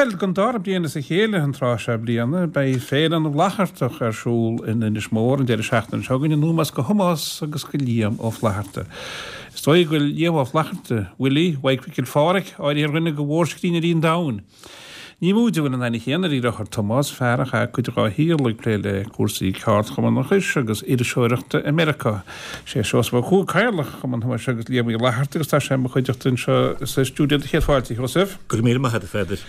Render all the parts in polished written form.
Bhuel, don dara bliain as a chéile an tráth seo bliana, beidh Féile na bhFlaitheartach ar siúl in Inis Mór an deireadh seachtaine seo chugainn, in ómós do Thomás agus do Liam Ó Flaithearta. Is dóigh go bhfuil Liam Ó Flaithearta, Willie Mhaidhc Mhicil Phádhraic, áirithe ar dhuine de mhórscríbhneoirí an domhain. Ní móide a bhfuil an aithne chéanna dáiríre ar Thomás, fear a chaith cuid dhá shaol ag plé le cúrsaí ceardchumannachais agus iriseoireachta i Meiriceá. Sé Seosamh Ó Cuaig Cathaoirleach Chumann Thomáis agus Liam Uí Fhlaithearta agus tá sé i mo chuideachta anseo sa stiúideo do chéad fáilte, a Sheosaimh. Go raibh míle maith agat, a Pheadair.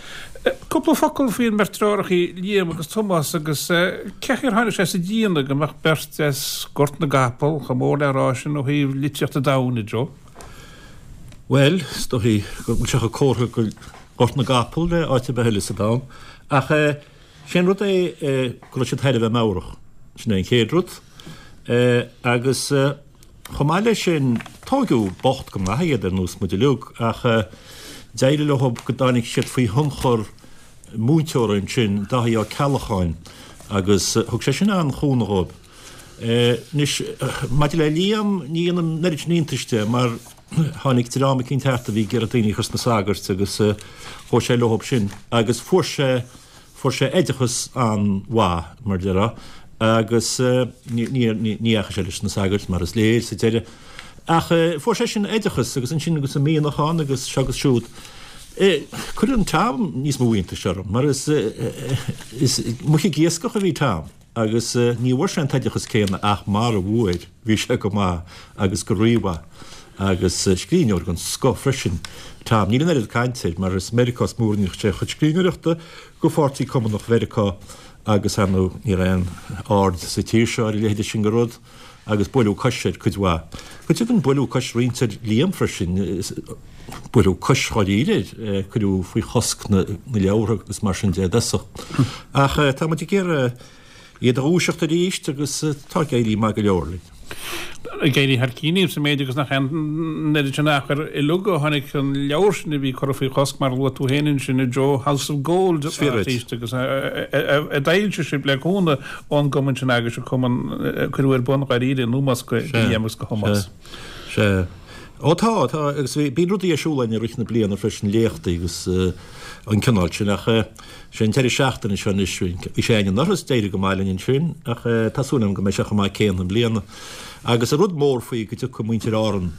Cúpla focal faoin mbeirt deartháireacha, Liam agus Tomás, agus cé chaoi ar tháinig sé sa déanamh go mbeadh beirt as Gort na gCapall chomh mór le rá sin ó thaobh litríocht an domhain, a Joe? Bhuel, is dóichí go bhfuil sé chomh comhartha go Gort na gCapall le áit ar bith eile sa domhan. Ach sé an rud é go raibh siad thar a bheith meabhrach. Sin é an chéad rud. Agus chomh maith leis sin, tóigeadh bocht go maith iad ar nós muid uilig, ach d'éirigh leo go dtáinig siad faoi thionchar múinteora ansin, Dáithí Ó Ceallacháin, agus thug sé sin an-chúnamh dhóibh. Anois, maidir le Liam, ní dhéanaim an oiread sin iontais de, mar tháinig dream eicínt thart a bhí ag iarraidh daoine a chur sna sagairt agus chuaigh sé leothab sin agus fuair sé, fuair sé oideachas an-mhaith, mar a déarfá, agus ní, ní, ní dheachaigh sé leis na sagairt, mar is léir, sa deireadh. Ach fuair sé sin oideachas agus ansin agus an mianach ann agus seo agus siúd. Cuireann Tom níos mó iontais orm, mar is, is muc ag iascach a bhí Tom. Agus ní bhfuair sé an t-oideachas céanna ach mar a bhfuair, bhí sé go maith agus go rímhaith. Agus scríbhneoir den scoth freisin, Tom. Níl an oiread cainte air mar is i Meiriceá is mó a rinne sé a chuid scríbhneoireachta do Pháirtí Cumannach Mheiriceá agus ar ndóigh ní raibh aon aird sa tír seo ar a leithéide sin de rud agus buaileadh cois air cuid mhaith. Go deimhin buaileadh cois roinnt ar Liam freisin. Buaileadh cois dháiríre air, cuireadh faoi chosc na leabhartha agus mar sin de i dtosach. Ach tá muid ag iarraidh iad a dhúiseacht arís agus tá ag éirí maith go leor linn. Ag éirí thar cinn sa méid agus nach aon oiread sin achair uilig ó tháinig an leabhar sin a bhí curtha faoi chosc mar a luaigh tú féin ansin a Joe, House of Gold arís agus a d'fhoilsigh sibh le cúnamh ón gcumann sin agus an cumann a cuireadh ar bun dháiríre in ómós do Liam agus do Thomás. Sea. Ó tá, tá, agus bhí, bíonn rudaí ar siúl againn i rith na bliana freisin, léachtaí agus an cineál sin, ach sé an deireadh seachtaine seo anois, bhí sé againn anuraidh is d'éirigh go maith linn ansin, ach tá súil agam go mbeidh sé chomh maith céanna i mbliana. Agus an rud mór faoi go dtiocfaidh muintir Árann,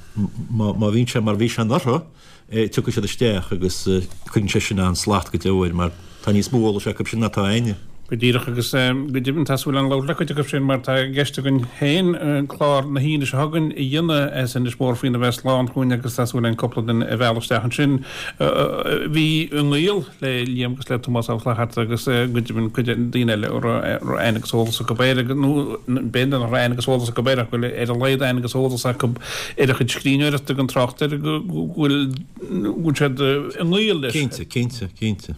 má, má bhíonn sé mar a bhí sé anuraidh, tiocfaidh siad isteach agus cuireann sé sin an-slacht go deo air mar tá níos mó eolais acu sin ná atá againne. Go díreach agus go deimhin tá súil agam labhairt le cuid acu sin mar tá i gceist againn féin clár na hAoine seo chugainn a dhéanamh as Inis Mór faoina bheith slán chugainn agus tá súil againn cúpla duine a mhealladh isteach ansin a bhí i ngaol le Liam agus le Tomás Ó Flaithearta agus go deimhin cuid daoine eile a raibh aithne agus eolas acu air nó b'fhéidir nach raibh aithne agus eolas acu air ach go bhfuil ar a laghad aithne agus eolas acu ar a chuid scríbhneoireachta gan trácht ar go bhfuil go bhfuil siad i ngaol leis. Cinnte, cinnte, cinnte.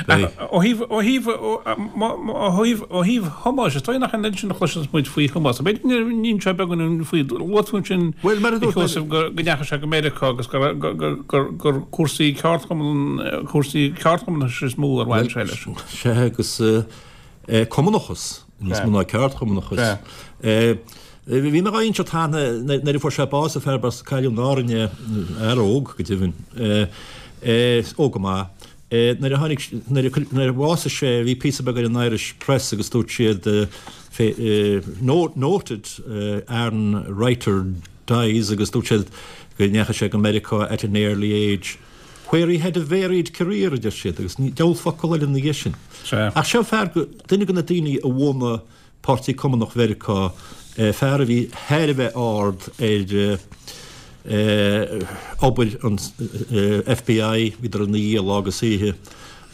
Ach ó thaobh, ó thaobh, ó thaobh, ó thaobh Thomáis, is dóigh nach an oiread sin a chloiseanns muid faoi Thomás. B'fhéidir go n-inis sé beagán faoi, luaigh tú ansin, Bhuel, mar a dúirt mé, a Sheosaimh, go ndeachaigh sé go Meiriceá agus gur, gur, gur, gur cúrsaí ceardchumann, cúrsaí ceardchumannachais is mó ar bhain sé leis. Sea, agus cumannachas níos mó ná ceardchumannachas. Bhí mé dhá inseacht cheana nuair a fuair sé bás, an fear as cailleadh in Árainn é, fear óg go deimhin, óg go maith. Nuair a tháinig, nuair a bhásaigh sé bhí píosa beag ar an Irish Press agus dúirt siad noted Aran writer dies agus dúirt siad go ndeachaigh sé go Meiriceá at an early age where he had a varied career a deir siad agus diabhal focal eile ina dhiaidh sin. Ach seo fear, duine de na daoine a bhunaigh Páirtí Cumannach Mheiriceá, fear a bhí thar a bheith ard ar obair an FBI, bhíodar ina dhiaidh lá agus oíche,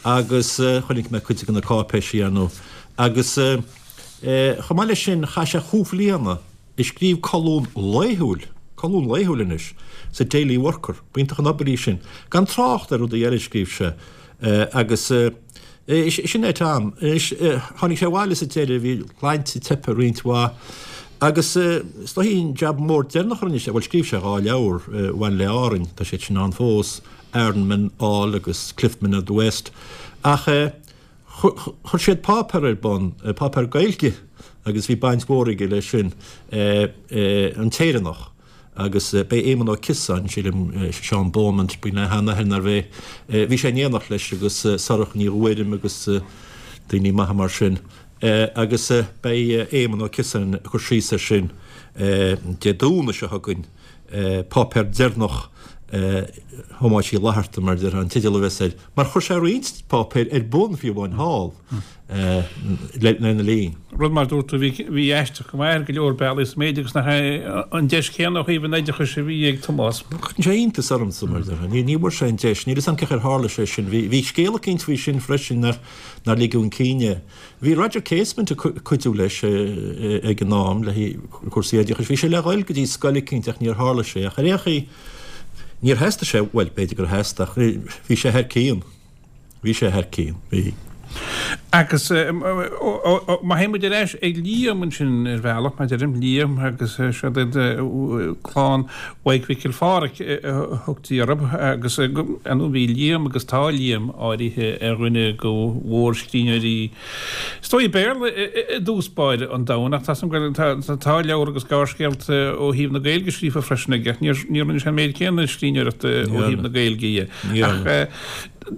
agus chonaic mé cuid de na cáipéisí, ar ndóigh. Agus chomh maith leis sin, chaith sé chúig bhliana ag scríobh colún laethúil, colún laethúil anois, sa Daily Worker, b'iontach an obair í sin, gan trácht ar rudaí eile a scríobh sé, agus. Sin é Tom. Anois, tháinig sé abhaile sa deireadh, bhí a shláinte teipthe roinnt mhaith agus is dóichí an jab mór deireanach a rinne sé, bhuel scríobh sé 2 leabhar a bhain le Árainn, tá siad sin ann fós, Aranmen All agus Cliffmen of the West, ach chuir siad páipéar ar bun, páipéar Gaeilge agus bhí baint mhór aige leis sin, An tÉireannach. Agus beidh Éamonn Ó Ciosáin, sílim, Seán Beaumont, bíonn aithne air nárbh é, bhí sé in éineacht leis agus Sorcha Ní Ghuairim agus daoine maithe mar sin. Agus beidh Éamonn Ó Ciosáin ag cur síos air sin Dé Domhnaigh seo chugainn, Páipéar Deireanach Thomáis Uí Fhlatharta, mar a déarfá, an teideal a bheas air, mar chuir sé roinnt páipéir ar bun fiú amháin thall. lena linn. Rud mar dúirt tú, bhí aisteach go maith ar go leor bealaí sa méid agus nach é an deis chéanna ó thaobh an oideachais a bhí ag Tomás. Cuireann sé iontas ormsa, mar a déarfá. Ní bhfuair sé an deis. Níl 'fhios a'm cén chaoi ar tharla sé sin. Bhí scéal eicínt faoi sin freisin nár ligeadh chun cinn é. Bhí Roger Casement ag cuidiú leis ag an am le cúrsaí oideachais. Bhí sé le dhul go dtí scoil eicínt ach níor tharla sé. Ach ar aon chaoi, níor theastaigh sé, bhuel, b'fhéidir gur theastaigh ach bhí sé thar cionn. Bhí sé thar cionn, bhí. Agus má théann muid ar ais ag Liam ansin ar bhealach, mar deirim, Liam agus siad iad clann Mhaidhc Mhicil Phádhraic a thugtaí orthu agus ar ndóigh bhí Liam agus tá Liam áirithe ar dhuine de mhórscríbhneoirí is dóigh Béarla i dtús báire an domhain ach tá tá leabhar agus gearrscéalta ó thaobh na Gaeilge scríofa freisin aige ach níor rinne sé an méid céanna scríbhneoireachta ó thaobh na Gaeilge dhe. Ach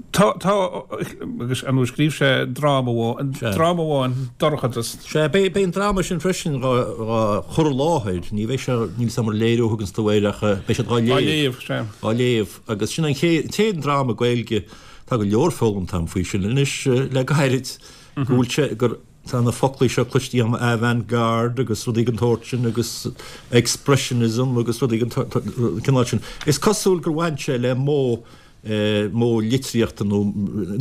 tá, tá, agus ar ndóigh scríobh sé dráma amháin, dráma amháin, Dorchadas. Sea, beidh, beidh an dráma sin freisin dhá, dhá chur i láthair, ní bheidh sé, níl 'fhios a'm ar léiriú a thuganns tú air ach beidh siad dhá léamh. Dhá léamh, sea. Dhá léamh, agus sin an chéad, an t-aon dráma Gaeilge, tá go leor foghlamtha a'm faoi sin anois le gairid, go bhfuil sé, gur, tá na foclaí seo cloiste agam, avant-garde agus rudaí den tsórt sin agus expressionism agus rudaí den cineál sin. Is cosúil gur bhain sé le modh, modh litríochta nó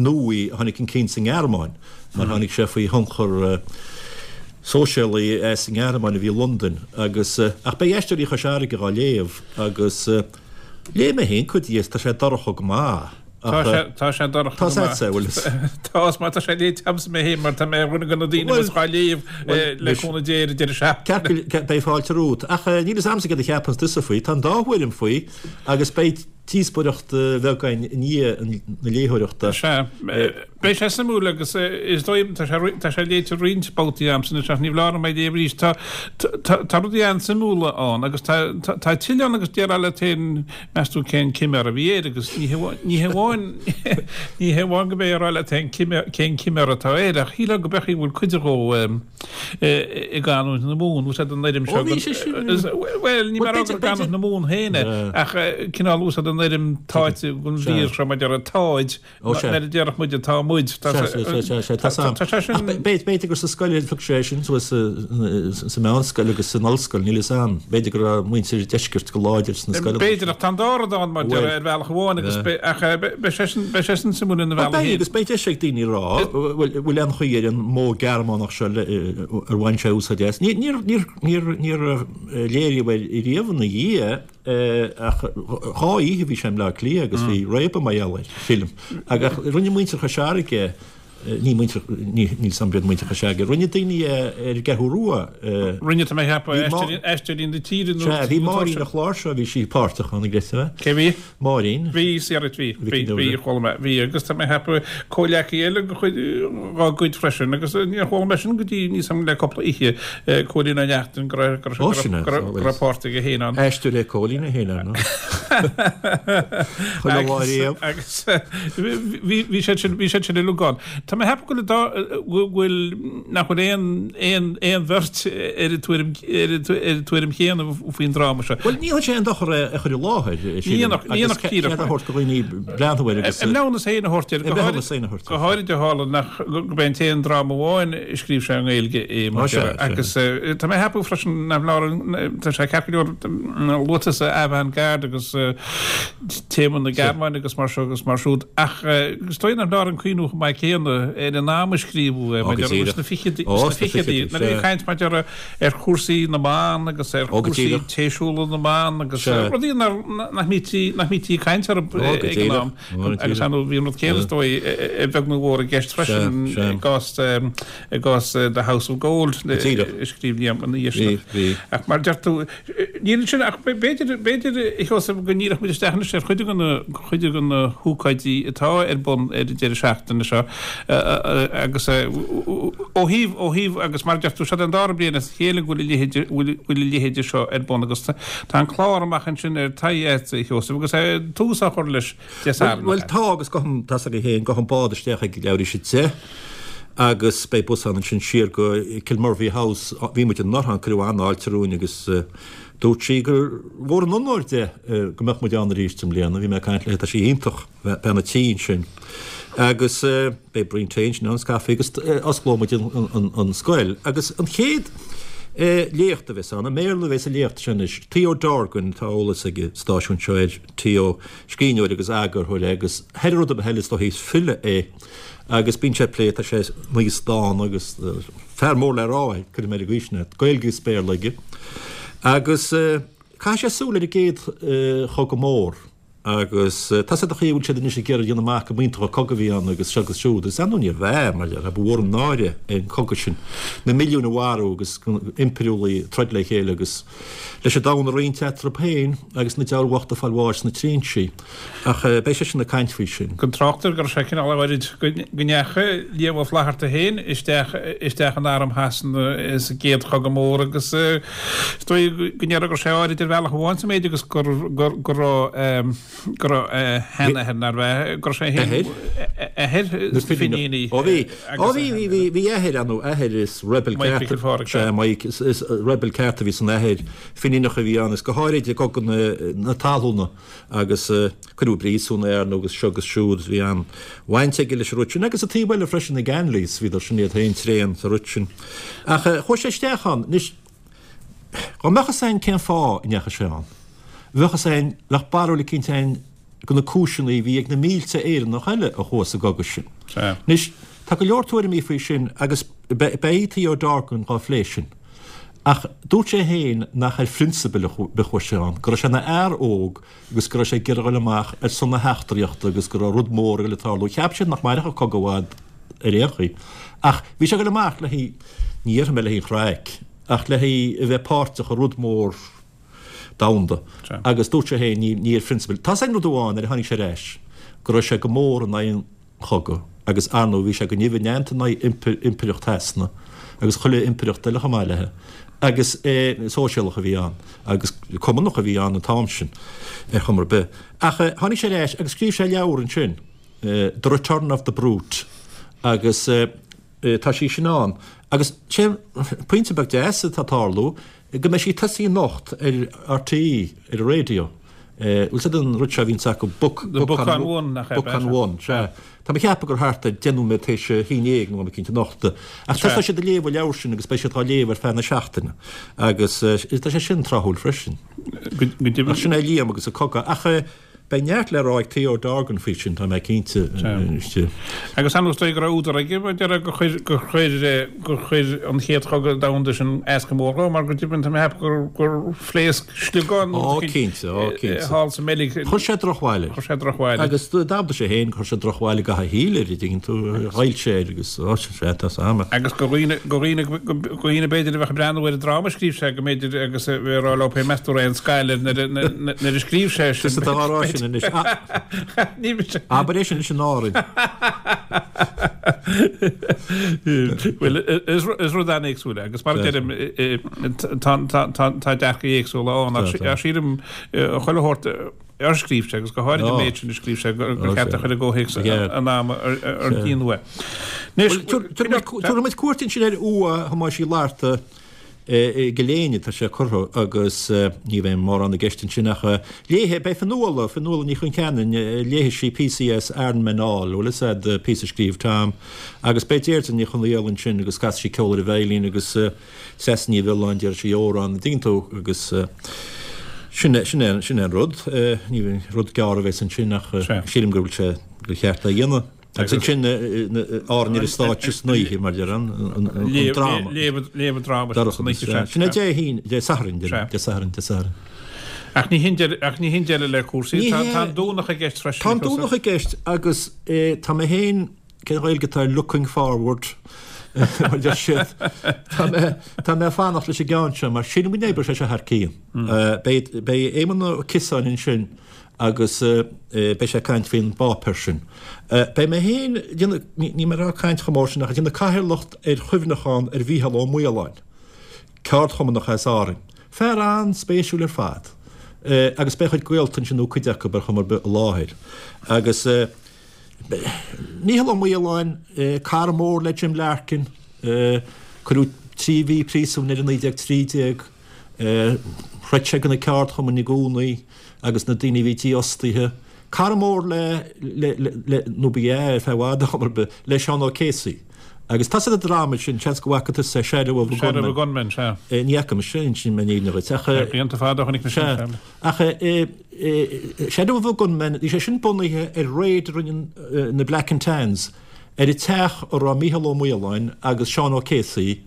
nuaí a tháinig chun cinn sa nGearmáin mar tháinig sé faoi thionchar sóisialaí as an nGearmáin a bhí i Londain agus, ach beidh Aisteoirí Chois Fharraige dhá léamh agus léigh mé féin cuid dhe is tá sé dorcha go maith. Tá sé, tá sé dorcha go maith. Tá bhfuil Tá má tá sé léite agamsa mé féin mar tá mé ar dhuine de na daoine a bheas dhá léamh le cúnamh Dé ar an deireadh seachtaine. Ceart, beidh fáilte romhat. Ach níl fhios a'msa céard a cheapanns tusa faoi. Tá an dá thuairim faoi agus beidh díospóireacht bheag againn i ndiaidh na léitheoireachta. Sea. Beidh sé suimiúil agus is dóigh, tá sé, tá sé léite roinnt babhtaí a'msa anois ach ní foláir dom é a léamh arís. Tá, tá, tá rudaí an-suimiúla ann agus tá, tá, tá tuilleadh ann agus déarfá leat féin, Meas tú cén ciméar a bhí air agus ní hamháin ní hamháin go mbeifeá ag rá leat féin cén ciméar atá air ach shílfeá go mbeadh bhfuil cuid dhó i gcanúint na Mumhan, úsáid an fhoirm seo. Ó bhí sé sin. Bhuel, ní mé ag rá gur i gcanúint na Mumhan féin é ach cineál úsáid an fhoirm táite den mhír seo mar a déarfá táid Ó sea. Nuair a déarfadh muide tá muid. Sea, sea, sea, sea, tá sam. Tá sé sin. Ach b'fhéidir gur sa scoil a phioc sé é sin suas sa meánscoil agus san ollscoil, níl fhios a'm. B'fhéidir go raibh muintir deiscirt go láidir sna scoileanna. B'fhéidir, ach tá an dá rud ann mar déarfá ar bhealach amháin agus ach beidh sé sin, beidh sé sin suimiúil ina bhealach féin. Beidh, agus beidh deis ag daoine a rá, bhfuil, bhfuil aon chaoi ar an modh Gearmánach seo ar bhain sé úsáid as. Níor, níor, níor, níor léiríodh é riamh ina dhiaidh. Ach 2 oíche bhí sé i mBleá Cliath agus bhí réabadh mar gheall air, sílim. Ach rinne muintir Chois Fharraige, ní muintir, níl 'fhios a'm b'iad muintir Chois Fharraige, rinne daoine é ar an gCeathrú Rua. Rinne, tá mé a cheapadh, Aisteoirí na Tíre nó. Sea, bhí Máirín an Chláirseoir, bhí sí páirteach ann, an gcreidfeá é? Cé bhí? Máirín. Bhí, sea, bhí, bhí, bhí, chuala mé, bhí, agus tá mé a cheapadh comhleacaí eile dá gcuid freisin, agus níor chuala mé sin go dtí níos am le cúpla oíche, Cóilín Ó Neachtain, go raibh, go raibh, go raibh páirt aige féin ann. Aisteoir é Cóilín é féin ar ndóigh. Chuile lá riamh. Agus bhí, bhí siad sin, bhí siad sin uilig ann. Tá mé a cheapadh go bhfuil, go bhfuil, nach bhfuil aon, aon, aon bheirt ar an tuairim, ar an tuairim chéanna faoin dráma seo. Bhuel, ní dhéanfadh sé aon dochar é a chur i láthair, sílim, agus cead a thabhairt do dhaoine breathnú air agus. A mbreithiúnas féin a thabhairt air, go háirid, go háirid ó tharla nach, gurb é an t-aon dráma amháin a scríobh sé i nGaeilge é, mar sin. Agus tá mé a cheapadh freisin nach leor, tá sé ceart go leor luaite sa avant-garde agus téama na Gearmáine agus mar seo agus mar siúd, ach is dóigh nach leor an cuimhniú chomh maith céanna ar an am a scríobhadh é, mar sna fichidí, sna fichidí, nuair a bhí caint mar déarfá ar chúrsaí na mban agus ar chúrsaí téisiúla na mban agus rudaí nach mbítí ag caint orthu ag an am. Agus ar ndóigh bhí an rud céanna is dóigh a bheag nó a mhór i gceist freisin i gcás i gcás The House of Gold a scríobh Liam ina dhiaidh sin. Ach mar deir tú, Níl ansin ach b'fhéidir, b'fhéidir, a Sheosaimh, go ndíreoidh muid isteach anois ar chuid de na, chuid de na hócáidí atá ar bun ar an deireadh seachtaine seo agus ó thaobh, ó thaobh, agus mar a deir tú, seo an dara bliain as a chéile go bhfuil a leithéid, bhfuil a leithéide seo ar bun agus tá an clár amach ansin ar Tie a Sheosaimh agus tús á chur leis Dé Sathairn. Bhuel tá agus gabhfaidh, tá's agat féin, gabhfaidh an bád isteach ag leathuair tar éis 10 agus beidh bus ann ansin siar go Kilmurvey House. Bhí muid anuraidh ann, cuireadh an-fháilte romhainn agus dúirt sí gur mhór an onóir di go mbeadh muid ann arís i mbliana. Bhí mé ag caint léi, tá sí iontach, bean an tí ansin. Agus beidh braon tae ansin ann agus caife agus osclóidh muid an scoil. Agus an chéad léacht a bheas ann, i mBéarla a bheas an léacht sin anois, Theo Dorgan, tá eolas ag an stáisiún seo air, Theo, scríbhneoir agus eagarthóir é agus thar rud ar bith eile is dóichí is file é agus bíonn sé ag plé, tá sé níos dána agus fear mór le rá é, cuirfidh mé ar an gcaoi sin é, Gaeilge agus Béarla aige. Agus caithfidh sé súil ar an gcéad chogadh mór agus tá's agat an chaoi a bhfuil siad anois ag iarraidh a dhéanamh amach go mb'iontach an cogadh a bhí ann agus seo agus siúd agus ar ndóigh níorbh ea mar ba mhór an náire é an cogadh sin, na milliúin a mharú agus impiriúlaigh ag troid le chéile agus. leis an domhan a roinnt eatarthu féin agus na diabhail bhochta ag fáil bháis sna trinsí. Ach beidh seisean ag caint faoi sin. Gan trácht ar go raibh sé cineál áirid go ndeachaigh Liam Ó Flaithearta féin isteach isteach in arm Shasana sa gcéad Chogadh Mór agus is dóigh go ndéarfá go raibh sé áirid ar bhealach amháin sa méid agus go go raibh go raibh a sheanathair nárbh ea, go raibh sé féin, athair na Finíní. Ó bhí, ó bhí, bhí, bhí, bhí athair ann, athair is rebel ceart, sea, Mike, is rebel ceart a bhí san athair, Finíneach a bhí ann, is go háirid i gCogadh na, na Talmhana agus cuireadh i bpríosún é ar ndóigh agus seo agus siúd, bhí an-bhaint aige leis an rud sin agus an taobh eile freisin, na Ganleys, bhíodar sin iad féin tréan sa rud sin. Ach chuaigh sé isteach ann, anois, Dá mbeadh fhios a'inn cén fáth a ndeachaigh sé ann, bheadh fhios a'inn, bheadh barúil eicínt a'inn de na cúiseanna a bhí ag na mílte Éireannach eile a chuaigh sa gcogadh sin. Anois, tá go leor tuairimí faoi sin agus beidh Theo Dorgan dhá phlé sin. Ach dúirt sé féin nach ar phrionsabail a chuaigh sé ann, go raibh sé ina fhear óg agus go raibh sé ag iarraidh a dhul amach ar son na heachtraíochta agus go raibh rud mór ag dul ag tarlú. Cheap siad nach mairfeadh an cogadh i bhfad ar aon chaoi. Ach bhí sé ag dul amach le haghaidh, ní dhéarfaidh mé le haghaidh an chraic, ach le haghaidh a bheith páirteach i rud mór domhanda. Agus dúirt sé féin, ní, ní ar phrionsabail. Tá's a'inn rud amháin, nuair a tháinig sé ar ais, go raibh sé go mór in aghaidh an chogaidh agus ar ndóigh bhí sé go nimh neanta in aghaidh impireacht Shasana agus chuile impireacht eile chomh maith léi. Agus sóisialach a bhí ann agus cumannach a bhí ann an t-am sin ar chuma ar bith. Ach tháinig sé ar ais agus scríobh sé leabhar ansin, The Return of the Brute agus tá sí sin ann. Agus sé an pointe beag deas atá ag tarlú go mbeidh sí ag tosaí anocht ar RTÉ, ar an raidió. Bhfuil fhios a'd an rud seo a bhíonns acu, Book, The Book on One, nach ea? Book on One, sea. Tá mé ag ceapadh gur thart ar 10 nóiméad tar éis a haon dhéag nó am eicínt anocht. Ach tosóidh siad ag léamh an leabhar sin agus beidh siad á léamh ar feadh na seachtaine. Agus tá sé sin tráthúil freisin. Go deimhin. Ach sin é Liam agus an cogadh. Ach beidh neart le rá ag Theo Dorgan faoi sin, tá mé cinnte. Agus an dóigh go raibh údar aige, mar deir gur chuir, gur chuir, gur chuir an chéad chogadh domhanda sin as go mór dhó, mar go deimhin tá mé ag ceapadh gur, gur phléasc sliogán nó Ó, cinnte, ó, cinnte. thall sa mBeilg. Chuir sé drochbhail air. Chuir sé drochbhail air. Agus d'admhaigh sé féin gur chuir sé drochbhail i gcaitheamh a shaoil air, an dtuigeann tú, ghoill sé air agus, ó, sea, tá 's a'm. Agus go dhaoine, go dhaoine, go dhaoine b'fhéidir a bheadh ag breathnú ar an dráma a scríobh sé, go mb'fhéidir agus a bheith ag rá leo féin, meas tú raibh aon scail air nuair a, nuair a scríobh sé sin. Tusa atá á rá sin anois. Ní mise. Abair é sin anois in Árainn. Bhuel, is rud an-éagsúil é agus mar a deirim, tá dearcaí éagsúla ann ach sílim chuile shórt ar scríobh sé agus go háirid an méid sin a scríobh sé gur cheart a chur i gcomhthéacs an ama ar déanadh é. Anois, tabharfaidh muid cuairt ansin ar uaigh Thomáis Uí Fhlatharta i gCill Éinne, tá sé curtha agus ní bheidh mórán i gceist ansin ach léifidh, beidh Fionnuala, Fionnuala Ní Choncheanainn, léifidh sí píosaí as Iron Men All, bhfuil fhios a'd, píosa a scríobh Tom, agus beidh Deirdre Ní Chonghaile ansin agus casfaidh sí ceol ar an veidhlín agus Treasa Ní Mhiolláin, déarfaidh sí amhrán, an dtuigeann tú, agus sin é, sin é, sin é an rud. Ní rud gearr a bheas ansin ach sílim go bhfuil sé, gur cheart é a dhéanamh. Agus ansin Árainn ar an stáitse san oíche, mar a deir an dráma. Léamh an dráma san oíche, sea. Sin é Dé hAoine, Dé Sathairn, Dé Sathairn, Dé Sathairn. Ach ní hin deireadh le cúrsaí. Tá an Domhnach i gceist freisin. Tá an Domhnach i gceist agus tá mé féin, cén Ghaeilge atá ar looking forward? Mar deir siad, tá mé, tá mé ag fanacht leis an gceann seo mar sílim go n-oibreoidh sé seo thar cionn. Beidh, beidh Éamonn Ó Ciosáin ansin agus beidh sé ag caint faoin bpáipéar sin. Beidh mé féin, níl mé ag rá caint chomh mór sin ach ag déanamh cathaoirleacht ar chuimhneachán ar Mhícheál Ó Maoláin, ceardchumannach as Árainn. Fear an-spéisiúil ar fad. Agus beidh a chuid gaolta ansin nó cuid acu ar chuma ar bith i láthair. Agus. Mícheál Ó Maoláin, cara mór le Jim Larkin, cuireadh 3 mhí príosúin air i 1913, throid sé do na ceardchumainn i gcónaí agus na daoine a bhí dífhostaithe. Cara mór le, nó ba ea ar feadh i bhfad ar chuma ar bith, le Seán O'Casey. Agus tá sa dráma sin, seans go bhfaca tusa é, Shadow of a Gunman. Shadow of a Gunman, sea. Ní fhaca mise é, inseoidh mé an fhírinne dhuit, ach. Blianta fada ó chonaic mise é, sea. Ach Shadow of a Gunman, bhí sé sin bunaithe ar raid a rinne na Black and Tans ar an teach a raibh Mícheál Ó Maoláin agus Seán O'Casey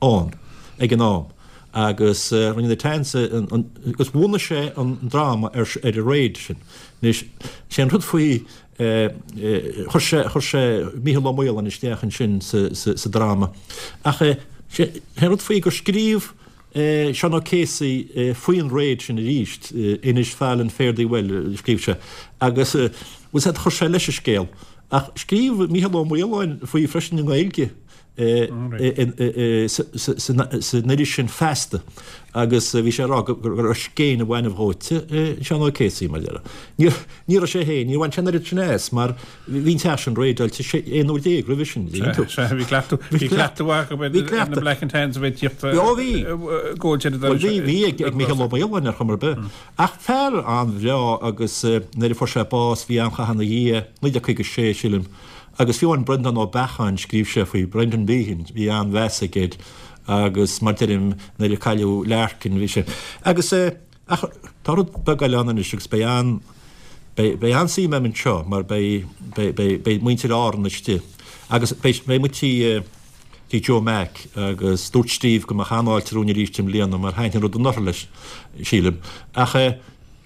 ann ag an am agus rinne na Tans agus bhunaigh sé an dráma ar an raid sin. Anois, sé an rud faoi, chuir sé, chuir sé Mícheál Ó Maoláin isteach ansin sa dráma. Ach sé an rud faoi gur scríobh Seán O'Casey faoin raid sin arís, Innisfallen Fare Thee Well, a scríobh sé, agus bhfuil 's a'd, chuir sé leis an scéal. Ach scríobh Mícheál Ó Maoláin faoi freisin i nGaeilge san iris sin Feasta agus bhí sé ag rá go raibh scéin an bhainbh dhóite i Seán O'Casey, mar a déarfá. Ní raibh sé féin, níor bhain sé an oiread sin as mar Bhí an teach sin raideáilte 11 uair roimhe sin, dtuigeann tú. Sea, bhí cleachtadh, bhí cleachtadh acu ar na Black and Tans a bheith ag tíocht Ó bhí. góilte ar an Bhuel bhí, bhí ag, ag Mícheál Ó Maoláin ar chuma ar bith. Ach fear an-bhreá agus nuair a fuair sé bás bhí an-chath ina dhiaidh, 1956 sílim, agus fiú amháin Breandán Ó Beacháin, scríobh sé faoi, Brendan Behan, bhí an-mheas aige air agus mar deirim nuair a cailleadh Larkin bhí sé, agus Ach tá rud beag eile ann anois agus beidh an, beidh, beidh an-suim agam anseo mar beidh, beidh, beidh, beidh muintir Árann istigh agus beidh, beidh muid tí, tí Joe Mac agus dúirt Steve go mbeadh an-fháilte romhainn arís i mbliana mar thaitin an rud anuraidh leis, sílim. Ach eh,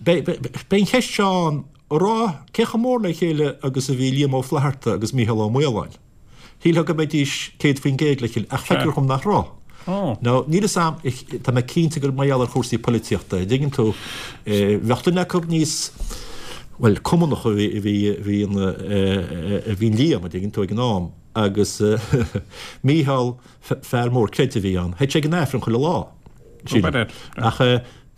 beidh, beidh, beidh an cheist seo ann, a rá cé chomh mór le chéile agus a bhí Liam Ó Flaithearta agus Mícheál Ó Maoláin. Shílfeá go mbeidís 100% le chéile, ach feictear dhom nach raibh. Now, níl fhios a'm, tá mé cinnte gur mar gheall ar chúrsaí poilitíochta, an dtuigeann tú, bheadh duine acu níos, bhuel, cumannach a bhí, a bhí, a bhí an, a bhí Liam, an dtuigeann tú, ag an am, agus Mícheál, fear mór creidimh a bhí ann, théadh sé ag an Aifreann chuile lá, sílim. Ach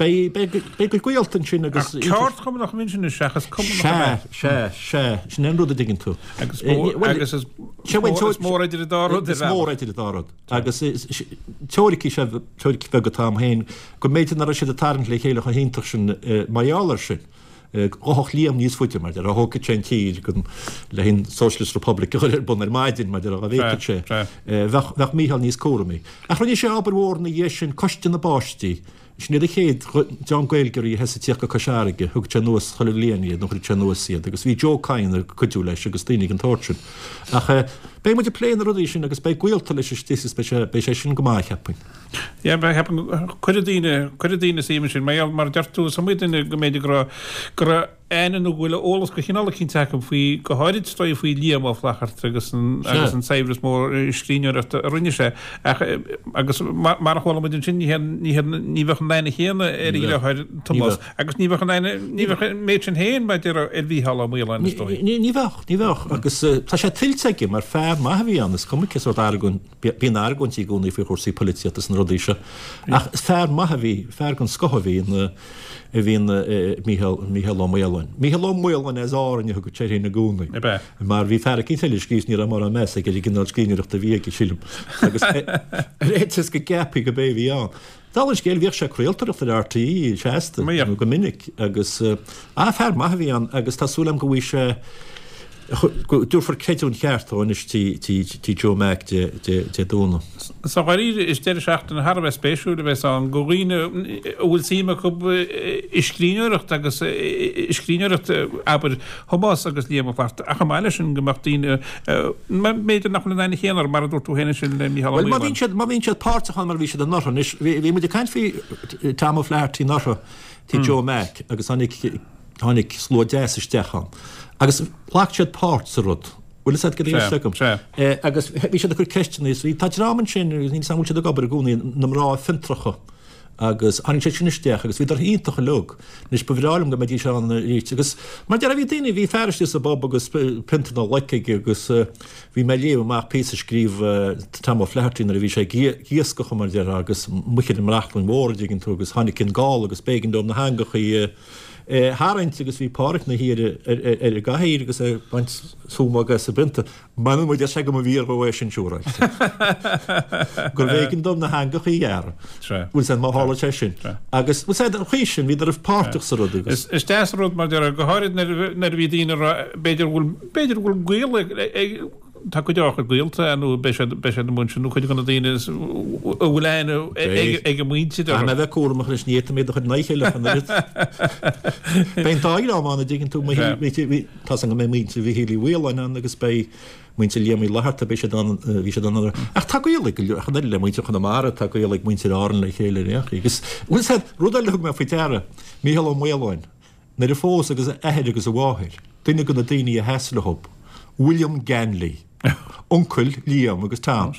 beidh, beidh, beidh a gcuid gaolta ansin agus. Ach ceardchumannach a bhí ansin seachas cumannach ab ea? Sea, sea, sea, sin é an rud a dtuigeann tú. Agus agus is mór, is mór idir an dá rud. Is mór idir an dá rud. Agus teoiricí sé, teoiric bheag atá a'm féin, go mb'fhéidir nach raibh siad ag tarraingt le chéile chomh hiontach sin mar gheall air sin. Ghabhfadh Liam níos faide, mar a déarfá, thógfadh sé an tír le an Socialist Republic a chur ar bun ar maidin, mar a déarfá, dá bhféadfadh sé. Bheadh, bheadh Mícheál níos cúramaí. Ach rinne sé obair mhór ina dhiaidh sin, Coiste na bPáistí. Sin iad an chéad dream Gaeilgeoirí a thosaigh ag tíocht go Cois Fharraige. Thug sé anuas chuile bhliain iad, nó chuir sé anuas iad, agus bhí Joe Kyne ag cuidiú leis agus daoine den tsórt sin. Ach beidh muid ag plé na rudaí sin agus beidh gaolta leis istigh agus beidh sé, beidh sé sin go maith, cheapfainn. Yeah, cheapfainn, cuirfidh daoine, cuirfidh daoine suim ansin, mar gheall, mar a deir tú, is iomaí duine go mb'fhéidir go raibh, go raibh aithne nó go bhfuil eolas de chineál eicínt acu faoi, go háirid is dóigh faoi Liam Ó Flaithearta agus an, agus an saibhreas mór scríbhneoireachta a rinne sé. Ach, agus mar, mar a chuala muid ansin, ní hé, ní hé, ní bheadh an aithne chéanna ar a dheartháir Tomás agus ní bheadh an aithne, ní bheadh an méid sin féin, mar a déarfá, ar Mhícheál Ó Maoláin, is dóigh. Ní, ní bheadh, ní bheadh. Agus tá sé tuillte aige mar fear maith a bhí ann, is cuma cé sórt argóint, Bíonn argóintí i gcónaí faoi chúrsaí poilitíochta is na rudaí seo. Ach fear maith a bhí, fear den scoth a bhí ina, a bhí ina Mícheál, Mícheál Ó Maoláin. Mícheál Ó Maoláin as Árainn a thugadh sé air féin i gcónaí. Ab ea? Mar bhí fear eicínt eile a scríobh is ní raibh mórán meas aige ar an gcineál scríbhneoireachta a bhí aige, sílim. Agus ar fhaitíos go gceapfaí go b'é a bhí ann. Dála an scéil, bhíodh sé ag craoltóireacht ar RTÉ seasta, nó go minic, agus ah, fear maith a bhí ann agus tá súil agam go bhfaighidh sé, go dtabharfar creidiúint cheart dó anois tí Joe Mac Dé Domhnaigh. Sa dháiríre, is deireadh seachtaine thar a bheith spéisiúil a bheas ann do dhaoine a bhfuil suim acu i scríbhneoireacht agus i scríbhneoireacht, abair, Thomáis agus Liam Ó Flaithearta, ach chomh maith leis sin go mbeadh daoine, b'fhéidir nach bhfuil an aithne chéanna orthu, mar a dúirt tú féin ansin le Mícheál Ó Maoláin. Bhuel, má bhíonn siad, má bhíonn siad páirteach ann mar a bhí siad anuraidh anois, bhí, bhí muid ag caint faoi Tom O'Flaherty anuraidh, tí Joe Mac, agus tháinig, tháinig slua deas isteach ann. Agus ghlac siad páirt sa rud. Bhfuil fhios agat cad é agam. Agus bhí siad ag cur ceisteanna is bhí, tá dream ansin, níl 'fhios a'm an bhfuil siad ag obair i gcónaí, na mná fiontracha agus tháinig siad sin isteach agus bhíodar iontach uilig. Anois ba bhreá liom go mbeidís ann arís agus mar a déarfá bhí daoine, bhí fear istigh sa bpub agus pionta na loic aige agus bhí mé ag léamh amach píosa a scríobh Tom O'Flaherty nuair a bhí sé ag iascach mar a déarfá agus amuigh ar an mBrachlainn Mhór a dtuigeann tú agus tháinig an gála agus b'éigean dó na heangachaí a tharraingt agus bhí Páraic 'na shuí ar an gcathaoir agus é ag baint súmaga as an bpionta. M'anam a deir sé go mba bhfíor dhó é sin siúráilte. Gurbh éigean dom na heangachaí a ghearradh. Bhfuil 'fhios a'd má tharla sé sin. Agus bhfuil 'fhios a'd an chaoi sin bhíodar páirteach sa rud agus. Is deas an rud mar deir go háirid nuair a bhí daoine ag rá b'fhéidir go bhfuil b'fhéidir go bhfuil gaol ag Tá cuid acu gaolta nó beidh siad beidh siad i mbun sin nó cuid de na daoine a bhfuil aithne ag a muintir orthu. Caithfidh mé a bheith cúramach anois, ní fhéadfaidh mé iad a chur in aghaidh a chéile ach an oiread. Beidh an dá dhream ann, an dtuigeann tú, tá 's agam go mbeidh muintir Mhichíl Uí Mhaoláin ann agus beidh muintir Liam Uí Fhlatharta, beidh siad ann, bhí siad ann anuraidh. Ach tá gaol ag go leor, ach an oiread le muintir Chonamara, tá gaol ag muintir Árann le chéile ar aon chaoi. Agus, bhfuil 's a'd, rud eile a thug mé faoi deara, Mícheál Ó Maoláin, Nuair a phós agus a athair agus a mháthair, duine de na daoine a sheas leo, William Ganley, uncail Liam agus Tom,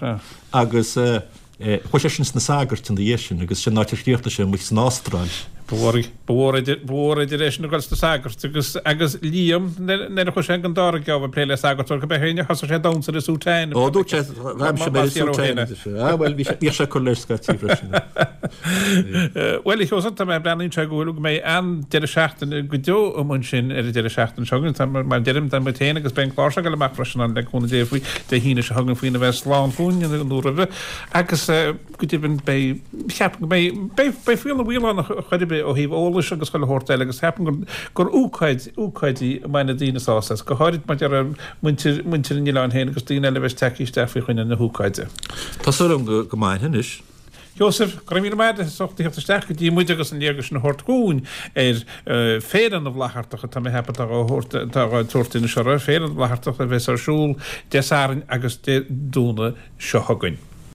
agus chuaigh seisean sna sagairt ina dhiaidh sin agus sin an áit ar chríochnaigh sé amuigh san Astráil. Ba mhór idir, ba mhór idir eisean ag dul sna sagairt agus, agus Liam nuair a chuaigh sé ag an dara geábh ag plé le sagart, óir go mbeadh éinne, thosaigh sé ag damhsa le soutane. Ó, dúirt sé, Bhraimse mé le soutane. Ah, bhuel, bhí sé, bhíodh sé ag cur leis scaití freisin. Bhuel, a Sheosaimh, tá mé ag breathnú anseo go bhfuil, go mbeidh an-deireadh seachtaine go deo amuigh ansin ar an deireadh seachtaine seo chugainn. Tá, mar a deirim, tá muid féin agus beidh an clár seo ag dul amach freisin ann le cúnamh Dé faoi Dé hAoine seo chugainn faoina bheith slán fúinn nó roimhe. Agus go deimhin beidh, cheapfainn go mbeidh, beidh, beidh Féile na bhFaoileán chor ar bith ó thaobh eolais agus chuile shórt eile agus cheapfainn gur, gur ócáid, ócáid í a mbainfidh daoine sásamh as, go háirid mar a deir muintir, muintir an oileáin féin agus daoine eile a bheas tagtha isteach faoi choinne na hócáide. Tá súil agam go, go mbainfidh anois. Sheosaimh, go raibh míle maith agat as ucht a theacht isteach go dtí muid agus an léargas sin a thabhairt dhúinn ar Féile na bhFlaitheartach atá mé a cheapadh atá á thabhairt, atá á tabhairt anois orthu, Féile na bhFlaitheartach a bheas ar siúl Dé Sathairn agus Dé Domhnaigh seo chugainn.